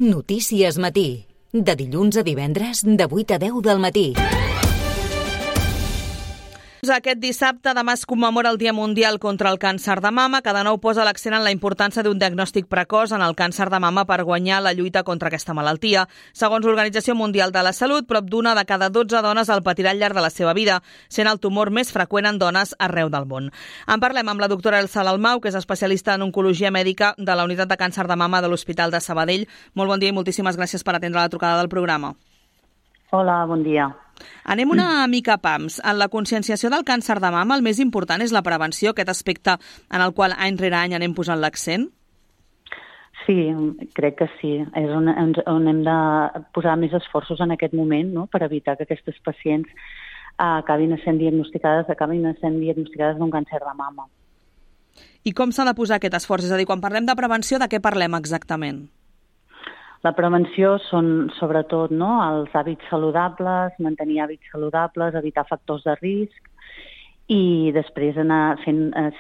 Notícies Matí. De dilluns a divendres, de 8 a 10 del matí. Aquest dissabte, demà es commemora el Dia Mundial contra el Càncer de Mama, que de nou posa l'accent en la importància d'un diagnòstic precoç en el càncer de mama per guanyar la lluita contra aquesta malaltia. Segons l'Organització Mundial de la Salut, prop d'una de cada 12 dones el patirà al llarg de la seva vida, sent el tumor més freqüent en dones arreu del món. En parlem amb la doctora Elsa Dalmau, que és especialista en oncologia mèdica de la Unitat de Càncer de Mama de l'Hospital de Sabadell. Molt bon dia i moltíssimes gràcies per atendre la trucada del programa. Hola, bon dia. Anem una mica a pams. En la conscienciació del càncer de mama, el més important és la prevenció, aquest aspecte en el qual any rere any anem posant l'accent? Sí, crec que sí. És on hem de posar més esforços en aquest moment, no?, per evitar que aquestes pacients acabin sent diagnosticades d'un càncer de mama. I com s'ha de posar aquest esforç? És a dir, quan parlem de prevenció, de què parlem exactament? La prevenció són, sobretot, no, els hàbits saludables, mantenir hàbits saludables, evitar factors de risc i després anar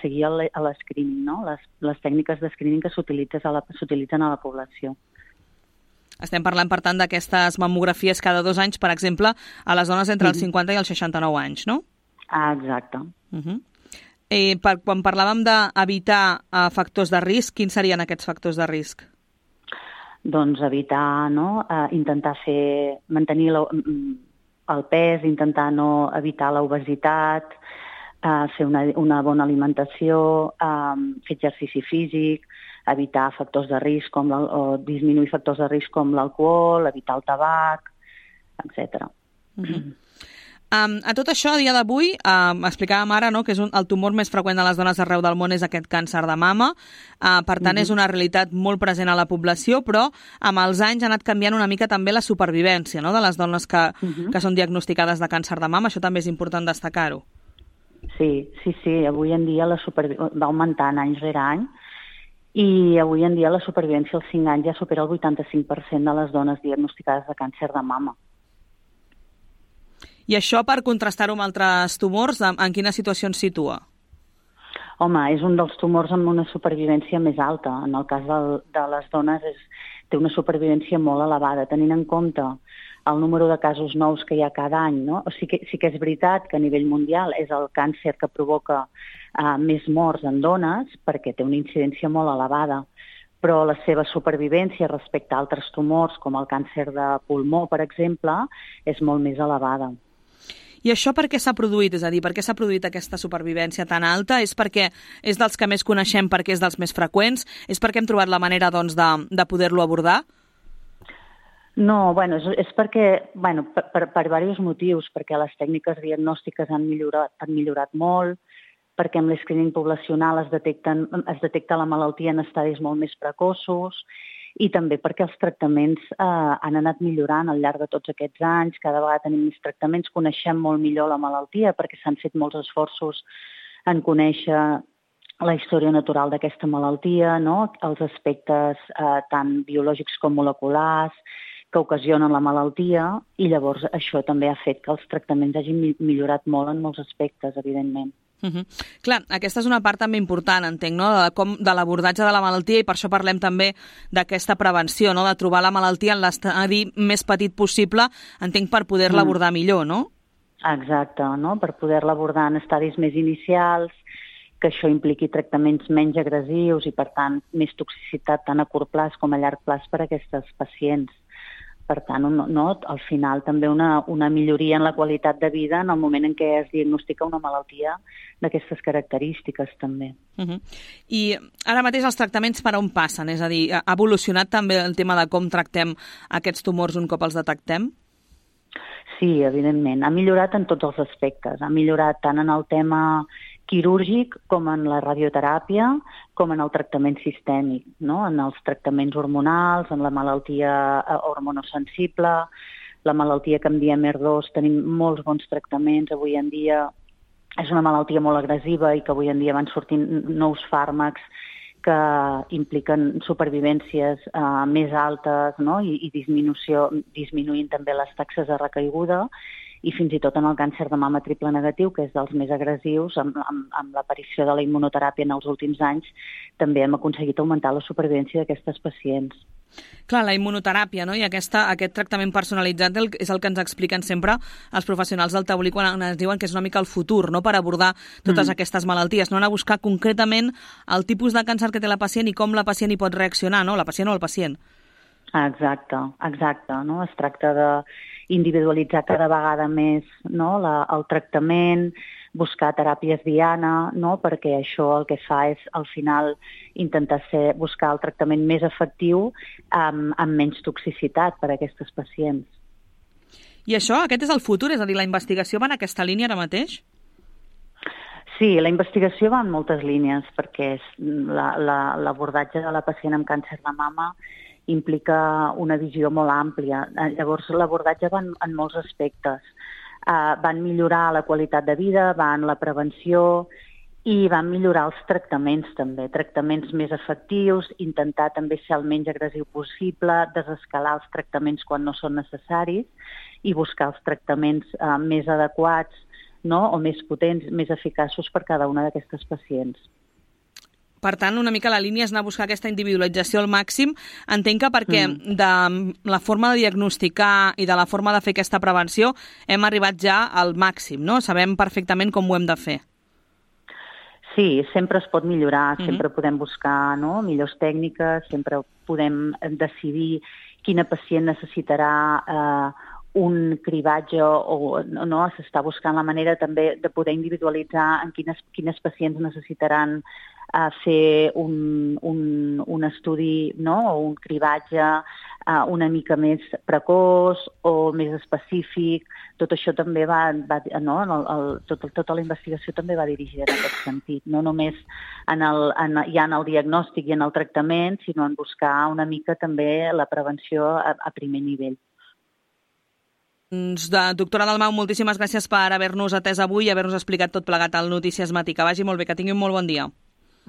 seguir a l'escreening, no? Les tècniques d'escreening que s'utilitzen a la població. Estem parlant, per tant, d'aquestes mamografies cada 2 anys, per exemple, a les dones entre els 50 i els 69 anys, no? Exacte. Quan parlàvem d'evitar factors de risc, quins serien aquests factors de risc? Doncs evitar, no?, intentar mantenir el pes, intentar no evitar l'obesitat, fer una bona alimentació, fer exercici físic, evitar factors de risc o disminuir factors de risc com l'alcohol, evitar el tabac, etc. A tot això, a dia d'avui, explicàvem ara, no, que és el tumor més freqüent de les dones arreu del món és aquest càncer de mama. Per tant, és una realitat molt present a la població, però amb els anys ha anat canviant una mica també la supervivència, no?, de les dones que són diagnosticades de càncer de mama. Això també és important destacar-ho. Sí. Avui en dia va augmentant any rere any i avui en dia la supervivència als 5 anys ja supera el 85% de les dones diagnosticades de càncer de mama. I això, per contrastar-ho amb altres tumors, en quina situació ens situa? Home, és un dels tumors amb una supervivència més alta. En el cas de les dones té una supervivència molt elevada, tenint en compte el número de casos nous que hi ha cada any, no? Sí que és veritat que a nivell mundial és el càncer que provoca més morts en dones perquè té una incidència molt elevada, però la seva supervivència respecte a altres tumors, com el càncer de pulmó, per exemple, és molt més elevada. I això per què s'ha produït? És a dir, per què s'ha produït aquesta supervivència tan alta? És perquè és dels que més coneixem, perquè és dels més freqüents? És perquè hem trobat la manera, doncs, de poder-lo abordar? No, és perquè, per diversos motius, perquè les tècniques diagnòstiques han millorat molt, perquè amb l'escreening poblacional es detecta la malaltia en estadis molt més precoços i també perquè els tractaments han anat millorant al llarg de tots aquests anys, cada vegada tenim més tractaments, coneixem molt millor la malaltia perquè s'han fet molts esforços en conèixer la història natural d'aquesta malaltia, no?, els aspectes tant biològics com moleculars que ocasionen la malaltia i llavors això també ha fet que els tractaments hagin millorat molt en molts aspectes, evidentment. Clar, aquesta és una part també important, entenc, no?, de l'abordatge de la malaltia i per això parlem també d'aquesta prevenció, no?, de trobar la malaltia en l'estadi més petit possible, entenc, per poder-la abordar millor, no? Exacte, no?, per poder-la abordar en estadis més inicials, que això impliqui tractaments menys agressius i, per tant, més toxicitat tant a curt plaç com a llarg plaç per a aquestes pacients. Per tant, al final també una milloria en la qualitat de vida en el moment en què es diagnostica una malaltia d'aquestes característiques també. I ara mateix els tractaments per on passen? És a dir, ha evolucionat també el tema de com tractem aquests tumors un cop els detectem? Sí, evidentment. Ha millorat en tots els aspectes. Ha millorat tant en el tema quirúrgic com en la radioteràpia, com en el tractament sistèmic, no?, en els tractaments hormonals, en la malaltia hormonosensible, la malaltia que en diem HER2, tenim molts bons tractaments avui en dia. És una malaltia molt agressiva i que avui en dia van sortint nous fàrmacs que impliquen supervivències més altes, no?, i disminuint també les taxes de recaiguda. I fins i tot en el càncer de mama triple negatiu, que és dels més agressius, amb l'aparició de la immunoteràpia en els últims anys, també hem aconseguit augmentar la supervivència d'aquestes pacients. Clar, la immunoteràpia, no? I aquest tractament personalitzat és el que ens expliquen sempre els professionals del taulí quan ens diuen que és una mica el futur, no?, per abordar totes aquestes malalties, no anar a buscar concretament el tipus de càncer que té la pacient i com la pacient hi pot reaccionar, no?, la pacient o el pacient. Exacte, no? Es tracta d'individualitzar cada vegada més, no?, el tractament, buscar teràpies diana, no?, perquè això el que fa és, al final, intentar buscar el tractament més efectiu amb menys toxicitat per a aquestes pacients. I aquest és el futur? És a dir, la investigació va en aquesta línia ara mateix? Sí, la investigació va en moltes línies, perquè l'abordatge de la pacient amb càncer de mama implica una visió molt àmplia. Llavors, l'abordatge va en molts aspectes. Van millorar la qualitat de vida, van la prevenció i van millorar els tractaments també, tractaments més efectius, intentar també ser el menys agressiu possible, desescalar els tractaments quan no són necessaris i buscar els tractaments més adequats, no?, o més potents, més eficaços per cada una d'aquestes pacients. Per tant, una mica la línia és anar a buscar aquesta individualització al màxim. Entenc que perquè de la forma de diagnosticar i de la forma de fer aquesta prevenció hem arribat ja al màxim, no? Sabem perfectament com ho hem de fer. Sí, sempre es pot millorar, sempre podem buscar, no?, millors tècniques, sempre podem decidir quina pacient necessitarà un cribatge o no, s'està buscant la manera també de poder individualitzar en quines pacients necessitaran fer un estudi, no?, o un cribatge una mica més precoç o més específic. Tot això també tota la investigació també va dirigida en aquest sentit, no només en el diagnòstic i en el tractament, sinó en buscar una mica també la prevenció a primer nivell. Doctora Dalmau, moltíssimes gràcies per haver-nos atès avui i haver-nos explicat tot plegat al Notícies Matí. Que vagi molt bé, que tingui un molt bon dia.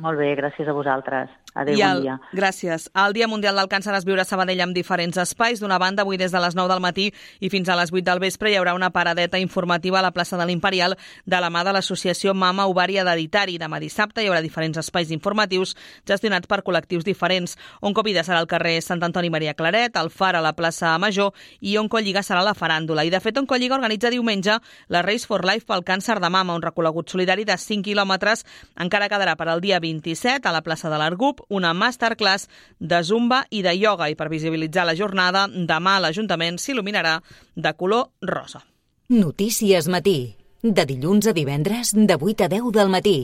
Molt bé, gràcies a vosaltres. Adéu, bon dia. Gràcies. El Dia Mundial del Càncer es viurà a Sabadell amb diferents espais. D'una banda, avui des de les 9 del matí i fins a les 8 del vespre hi haurà una paradeta informativa a la plaça de l'Imperial de la mà de l'associació Mama Ovari Hereditari. Demà dissabte hi haurà diferents espais informatius gestionats per col·lectius diferents. Oncovida serà al carrer Sant Antoni Maria Claret, el Far a la plaça Major i Oncolliga serà la faràndula. I de fet, Oncolliga organitza diumenge la Race for Life pel càncer de mama, un recorregut solidari de 5 quilòmetres. Encara quedarà per al dia 27 a la plaça de l'Argup una masterclass de zumba i de ioga, i per visibilitzar la jornada, demà l'Ajuntament s'il·luminarà de color rosa. Notícies Matí, de dilluns a divendres de 8 a 10 del matí.